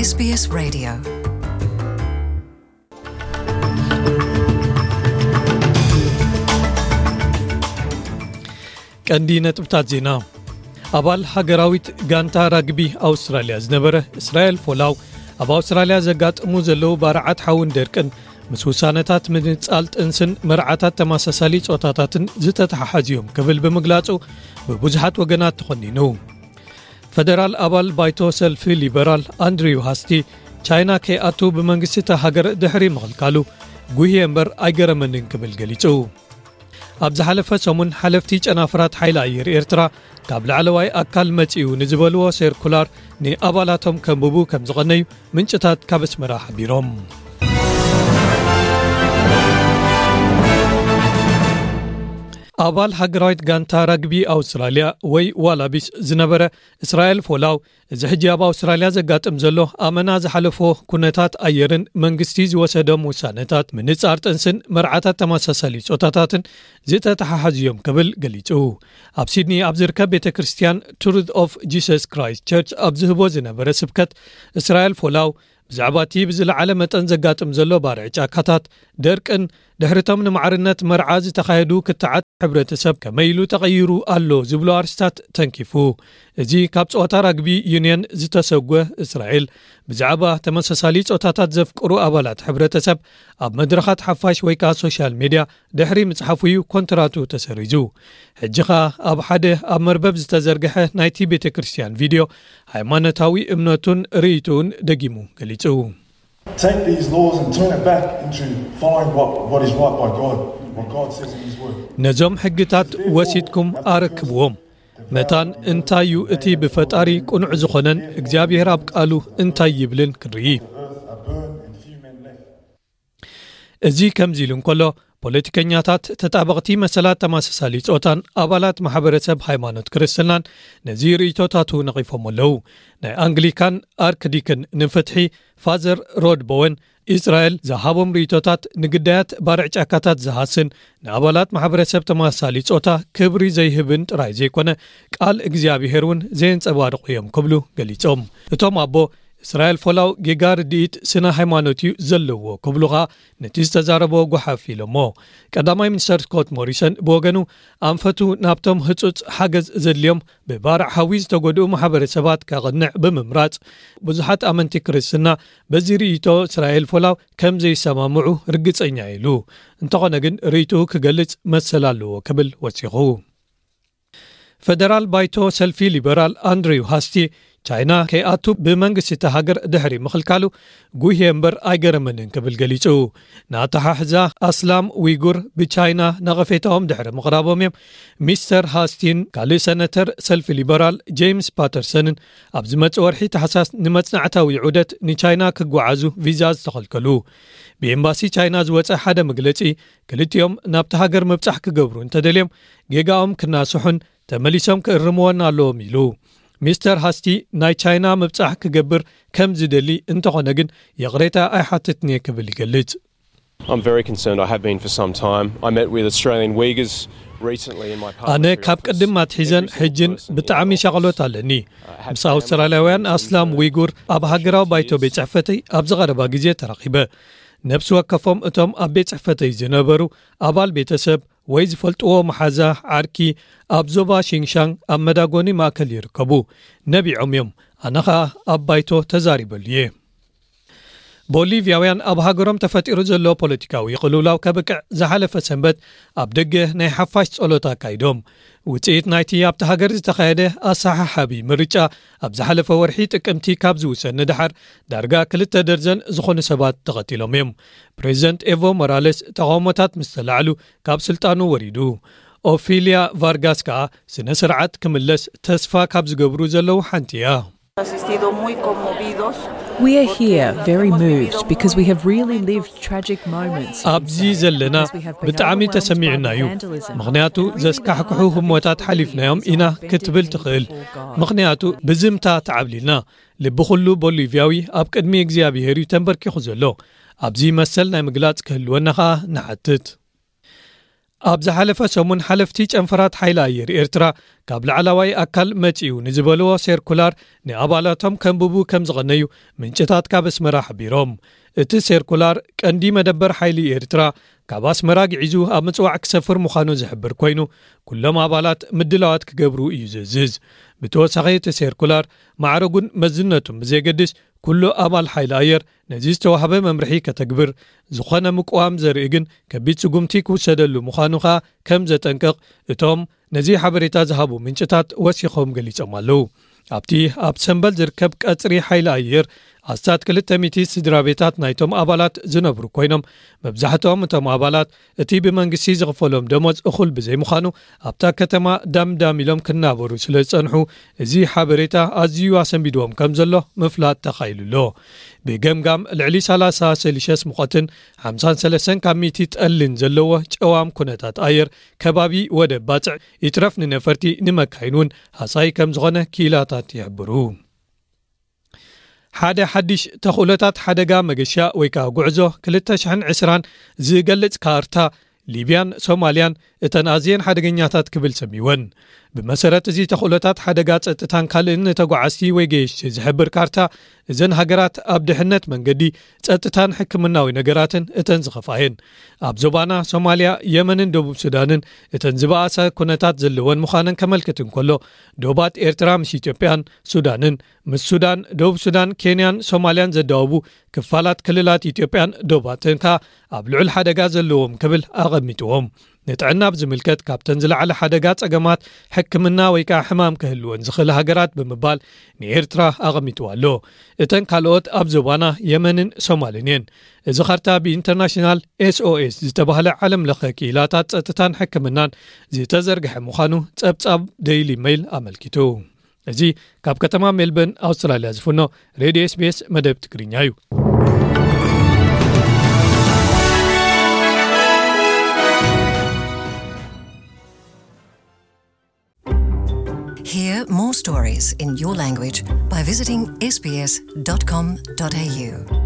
SBS Radio. ቀንዲ ነጥብታት ዜና። ኣባል ሃገራዊት ጋንታ ራግቢ ኣውስትራልያ ዝነበረ እስራኤል ፎላው፣ ኣብ ኣውስትራልያ ዘጋጥሙ ዘለዉ ባርዓት ሓውን ደርቅን ምስ ውሳነታት ምንጻል ጥንስን መርዓታት ተመሳሳሊ ጾታታትን ዝተተሓሓዙ እዮም ክብል ብምግላጹ ብብዙሓት ወገናት ተኾኒኑ። ፈደራል ኣባል ባይቶ ሰልፊ ሊበራል ኣንድሪው ሃስቲ፣ ቻይና ከይኣቱ ብመንግስቲ እታ ሃገር ድሕሪ ምኽልካሉ ጉህየ እምበር ኣይገረመንን ክብል ገሊጹ። ኣብ ዝሓለፈ ሰሙን ሓለፍቲ ጨናፍራት ሓይሊ ኣየር ኤርትራ ካብ ላዕለዋይ ኣካል መጺኡ ንዝበልዎ ሴርኩላር ንኣባላቶም ከንብቡ ከም ዝቐነዩ ምንጭታት ካብ ኣስመራ ሓቢሮም። ኣባል ሃገራዊት ጋንታ ራግቢ ኣውስትራልያ ወይ ዋላቢስ ዝነበረ እስራኤል ፎላው፣ እዚ ሕጂ ኣብ ኣውስትራልያ ዘጋጥም ዘሎ ኣመና ዝሓለፎ ኩነታት ኣየርን መንግስቲ ዝወሰዶም ውሳነታት ምንጻር ጥንስን መርዓታት ተመሳሳሊ ጾታታትን ዝተተሓሓዙ እዮም ክብል ገሊጹ። ኣብ ሲድኒ ኣብ ዝርከብ ቤተ ክርስቲያን ትሩዝ ኦፍ ጂሰስ ክራይስት ቸርች ኣብ ዝህቦ ዝነበረ ስብከት፣ እስራኤል ፎላው ብዛዕባ እቲ ብዝለዓለ መጠን ዘጋጥም ዘሎ ባርዕ ጫካታት፣ ደርቅን ድሕሪቶም ንማዕርነት መርዓ ዝተኻየዱ ክትዓት ሕብረተሰብ ከመይ ኢሉ ተቐይሩ ኣሎ ዝብሉ ኣርስታት ተንኪፉ። እዚ ካብ ጸወታ ራግቢ ዩንየን ዝተሰጎ እስራኤል፣ ብዛዕባ ተመሳሳሊ ጾታታት ዘፍቅሩ ኣባላት ሕብረተሰብ ኣብ መድረኻት ሓፋሽ ወይ ከኣ ሶሻል ሜድያ ድሕሪ ምጽሓፉ እዩ ኮንትራቱ ተሰሪዙ። ሕጂ ኸኣ ኣብ ሓደ ኣብ መርበብ ዝተዘርግሐ ናይቲ ቤተ ክርስቲያን ቪድዮ፣ ሃይማኖታዊ እምነቱን ርእይቶኡን ደጊሙ ገሊጹ። Take these laws and turn it back into following what, what is right by God, what God says in His Word. ነዞም ሕግታት ወሲድኩም ኣረክብዎም። መታን እንታይ እዩ እቲ ብፈጣሪ ቅኑዕ ዝኾነን እግዚኣብሔር ኣብ ቃሉ እንታይ ይብልን ክንርኢ። Earth are burned and few men left. እዚ ከምዚ ኢሉ እንከሎ፣ ፖለቲከኛታት፣ ተጣበቕቲ መሰላት ተመሳሳሊ ጾታን ኣባላት ማሕበረሰብ ሃይማኖት ክርስትናን ነዚ ርእይቶታቱ ነቒፎም ኣለዉ። ናይ ኣንግሊካን ኣርክዲክን ንፍትሒ ፋዘር ሮድ ቦወን፣ እስራኤል ዝሃቦም ርእይቶታት ንግዳያት ባርዕ ጫካታት ዝሃስን ንኣባላት ማሕበረሰብ ተመሳሳሊ ጾታ ክብሪ ዘይህብን ጥራይ ዘይኮነ፣ ቃል እግዚኣብሔር እውን ዘየንጸባርቑ እዮም ክብሉ ገሊጾም። እቶም ኣቦ፣ እስራኤል ፎላው ጌጋ ርድኢት ስነ ሃይማኖት እዩ ዘለዎ ክብሉ ኸኣ ነቲ ዝተዛረቦ ጓሓፍ ኢሎሞ። ቀዳማይ ሚኒስተር ስኮት ሞሪሰን ብወገኑ፣ ኣንፈቱ ናብቶም ህጹጽ ሓገዝ ዘድልዮም ብባርዕ ሓዊ ዝተጎድኡ ማሕበረሰባት ከቕንዕ ብምምራጽ፣ ብዙሓት ኣመንቲ ክርስትና በዚ ርእይቶ እስራኤል ፎላው ከም ዘይሰማምዑ ርግጸኛ ኢሉ። እንተኾነ ግን ርእይትኡ ክገልጽ መሰል ኣለዎ ክብል ወሲኹ። ፈደራል ባይቶ ሰልፊ ሊበራል ኣንድሪው ሃስቲ፣ ቻይና ከይኣቱ ብመንግስቲ እታ ሃገር ድሕሪ ምኽልካሉ ጉህየ እምበር ኣይገረመንን ክብል ገሊጹ። ንኣተሓሕዛ ኣስላም ዊጉር ብቻይና ነቐፌታኦም ድሕሪ ምቕራቦም እዮም ሚስተር ሃስቲን ካልእ ሰነተር ሰልፊ ሊበራል ጄምስ ፓተርሰንን ኣብ ዝመጽእ ወርሒ ታሕሳስ ንመጽናዕታዊ ዑደት ንቻይና ክጓዓዙ ቪዛ ዝተኸልከሉ። ብኤምባሲ ቻይና ዝወጸ ሓደ መግለጺ፣ ክልቲኦም ናብቲ ሃገር ምብጻሕ ክገብሩ እንተደልዮም፣ ጌጋኦም ክናስሑን ተመሊሶም ክእርምዎን ኣለዎም ኢሉ። ሚስተር ሃስቲ ናይ ቻይና ምብጻሕ ክገብር ከም ዝደሊ እንተኾነ ግን፣ ይቕሬታ ኣይሓትትን እየ ክብል ይገልጽ። I'm very concerned. I have been for some time. I met with Australian Uyghurs recently in my partner's ኣነ ካብ ቅድም ኣትሒዘን ሕጅን ብጣዕሚ ሻቕሎት ኣለኒ። ምስ ኣውስትራልያውያን ኣስላም ዊጉር ኣብ ሃገራዊ ባይቶ ቤት ጽሕፈተይ ኣብዚ ቀረባ ግዜ ተራኺበ። ነብሲ ወከፎም እቶም ኣብ ቤት ጽሕፈተይ ዝነበሩ ኣባል ቤተሰብ ወይ ዝፈልጥዎ መሓዛ፣ ዓርኪ፣ ኣብ ዞባ ሺንሻንግ ኣብ መዳጎኒ ማእከል ይርከቡ። ነቢዖም እዮም። ኣነ ኸኣ ኣብ ባይቶ ተዛሪበሉ እየ። ቦሊቭያውያን ኣብ ሃገሮም ተፈጢሩ ዘሎ ፖለቲካዊ ቅልውላው ከብቅዕ ዝሓለፈ ሰንበት ኣብ ደገ ናይ ሓፋሽ ጸሎት ኣካይዶም። ውጽኢት ናይቲ ኣብቲ ሃገር ዝተኻየደ ኣሰሓሓቢ ምርጫ ኣብ ዝሓለፈ ወርሒ ጥቅምቲ ካብ ዝውሰን ንደሓር ዳርጋ ክልተ ደርዘን ዝኾኑ ሰባት ተቐቲሎም እዮም። ፕሬዚደንት ኤቮ ሞራለስ ተቓውሞታት ምስ ተላዕሉ ካብ ስልጣኑ ወሪዱ። ኦፊልያ ቫርጋስ ከኣ ስነ ስርዓት ክምለስ ተስፋ ካብ ዝገብሩ ዘለዉ ሓንቲ እያ። Asistido muy conmovidos. We are here very moved because we have really lived tragic moments ኣብዚ ዘለና ብጣዕሚ ተሰሚዑና እዩ። ምኽንያቱ ዘስካሕክሑ ህሞታት ሓሊፍናዮም ኢና ክትብል ትኽእል። ምኽንያቱ ብዝምታ ተዓብሊልና። ልቢ ኩሉ ቦሊቭያዊ ኣብ ቅድሚ እግዚኣብሔር እዩ ተንበርኪኹ ዘሎ። ኣብዚ መሰል ናይ ምግላጽ ክህልወና ኸኣ ንሓትት። ኣብ ዝሓለፈ ሰሙን ሓለፍቲ ጨንፈራት ሓይሊ ኣየር ኤርትራ ካብ ላዕላዋይ ኣካል መጺኡ ንዝበልዎ ሴርኩላር ንኣባላቶም ከንብቡ ከም ዝቐነዩ ምንጭታት ካብ ኣስመራ ሓቢሮም። እቲ ሴርኩላር ቀንዲ መደበር ሓይሊ ኤርትራ ካብ ኣስመራ ግዒዙ ኣብ ምጽዋዕ ክሰፍር ምዃኑ ዝሕብር ኮይኑ፣ ኩሎም ኣባላት ምድላዋት ክገብሩ እዩ ዝእዝዝ። ብተወሳኺ እቲ ሴርኩላር ማዕረጉን መዝነቱን ብዘየገድስ ኩሉ ኣባል ሓይሊ ኣየር ነዚ ዝተዋህበ መምርሒ ከተግብር፣ ዝኾነ ምቅዋም ዘርኢ ግን ከቢድ ስጉምቲ ክውሰደሉ ምዃኑ ከኣ ከም ዘጠንቅቕ እቶም ነዚ ሓበሬታ ዝሃቡ ምንጭታት ወሲኾም ገሊጾም ኣለዉ። ኣብቲ ኣብ ሰምበል ዝርከብ ቀጽሪ ሓይሊ ኣየር ኣስታት ክልተ ሚእቲ ስድራ ቤታት ናይቶም ኣባላት ዝነብሩ ኮይኖም፣ መብዛሕትኦም እቶም ኣባላት እቲ ብመንግስቲ ዝኽፈሎም ደሞዝ እኹል ብዘይምዃኑ ኣብታ ከተማ ዳምዳም ኢሎም ክናበሩ ስለ ዝጸንሑ፣ እዚ ሓበሬታ ኣዝዩ ኣሰንቢድዎም ከም ዘሎ ምፍላጥ ተኻኢሉ ኣሎ። ብገምጋም ልዕሊ ሰላሳ ሴልሽየስ ሙቐትን ሓምሳን ሰለስተን ካብ ሚእቲ ጠልን ዘለዎ ጨዋም ኩነታት ኣየር ከባቢ ወደብ ባጽዕ ይትረፍ ንነፈርቲ ንመካይን እውን ሃሳይ ከም ዝኾነ ክኢላታት ይሕብሩ። ሓደ ሓድሽ ተኽእሎታት ሓደጋ መገሻ ወይ ከኣ ጉዕዞ ክልተ ሽሕን ዕስራን ዝገልጽ ካርታ ሊብያን ሶማልያን እተን ኣዝየን ሓደገኛታት ክብል ሰሚወን። ብመሰረት እዚ ተኽእሎታት ሓደጋ ጸጥታን ካልእን ንተጓዓዝቲ ወይ ገየሽቲ ዝሕብር ካርታ፣ እዘን ሃገራት ኣብ ድሕነት መንገዲ፣ ጸጥታን ሕክምናዊ ነገራትን እተን ዝኸፍኣየን። ኣብ ዞባና ሶማልያ፣ የመንን ደቡብ ሱዳንን እተን ዝበኣሰ ኩነታት ዘለወን ምዃነን ከመልክት እንከሎ፣ ዶባት ኤርትራ ምስ ኢትዮጵያን ሱዳንን፣ ምስ ሱዳን፣ ደቡብ ሱዳን፣ ኬንያን ሶማልያን ዘዳወቡ ክፋላት ክልላት ኢትዮጵያን ዶባትን ከኣ ኣብ ልዑል ሓደጋ ዘለዎም ክብል ኣቐሚጥዎም። ንጥዕና ብዝምልከት ካብተን ዝለዓለ ሓደጋ ጸገማት ሕክምና ወይ ከኣ ሕማም ክህልወን ዝኽእል ሃገራት ብምባል ንኤርትራ ኣቐሚጥዋ ኣሎ። እተን ካልኦት ኣብ ዞባና የመንን ሶማልን እየን። እዚ ካርታ ብኢንተርናሽናል ኤስኦኤስ ዝተባህለ ዓለም ለኸ ክኢላታት ጸጥታን ሕክምናን ዝተዘርግሐ ምዃኑ ጸብጻብ ደይሊ ሜይል ኣመልኪቱ። እዚ ካብ ከተማ ሜልበርን ኣውስትራልያ ዝፍኖ ሬድዮ ኤስቢኤስ መደብ ትግርኛ እዩ። Hear more stories in your language by visiting S B S dot com dot A U.